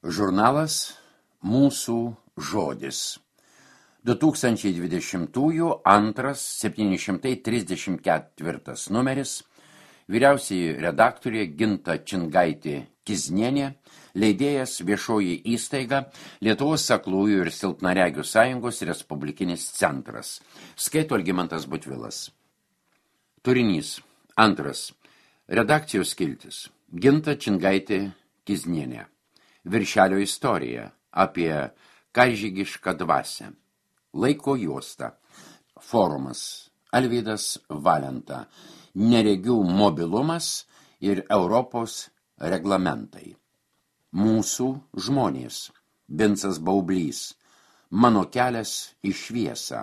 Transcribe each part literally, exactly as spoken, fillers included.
Žurnalas Mūsų žodis. du tūkstančiai dvidešimtųjų antras septyni šimtai trisdešimt ketvirtas numeris. Vyriausioji redaktorė Ginta Čingaitė Kiznienė, leidėjas Viešoji įstaiga Lietuvos aklųjų ir silpnaregių sąjungos Respublikinis centras. Skaito Algimantas Butvilas. Turinys. Antras. Redakcijos skiltis. Ginta Čingaitė Kiznienė. Viršelio istorija apie karžygišką dvasią. Laiko juosta. Forumas. Alvydas Valenta. Neregių mobilumas ir Europos reglamentai. Mūsų žmonės. Vincas Baublys. Mano kelias į šviesą.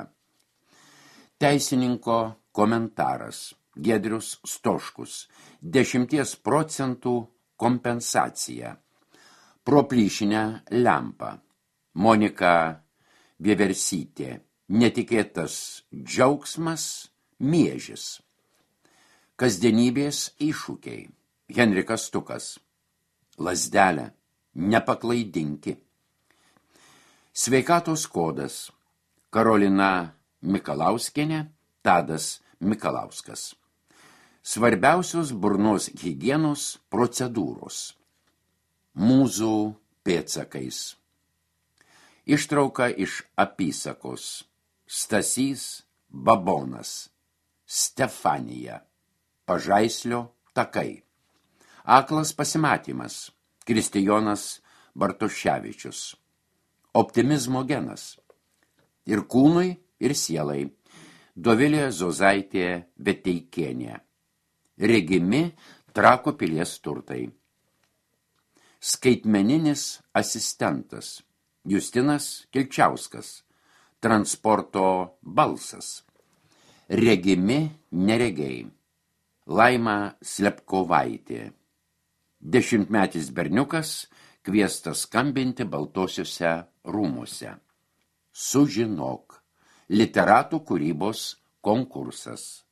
Teisininko komentaras. Giedrius Stoškus. Dešimties procentų kompensacija. Pro plyšinę lempą. Monika Vieversytė. Netikėtas džiaugsmas miežis. Kasdienybės iššūkiai. Henrikas Stukas. Lazdelė. Nepaklaidinki. Sveikatos kodas. Karolina Mikalauskienė. Tadas Mikalauskas. Svarbiausios burnos higienos procedūros. Mūzų pėdsakais. Ištrauka iš apysakos. Stasys Babonas. Stefanija. Pažaislio takai. Aklas pasimatymas. Kristijonas Bartoševičius. Optimizmo genas. Ir kūnui, ir sielai. Dovilė Zozaitė Veteikienė. Regimi Trakų pilies turtai. Skaitmeninis asistentas. Justinas Kilčiauskas. Transporto balsas. Regimi neregiai. Laima Slepkovaitė. Dešimtmetis berniukas kviestas skambinti Baltosiuose rūmuose. Sužinok. Literatų kūrybos konkursas.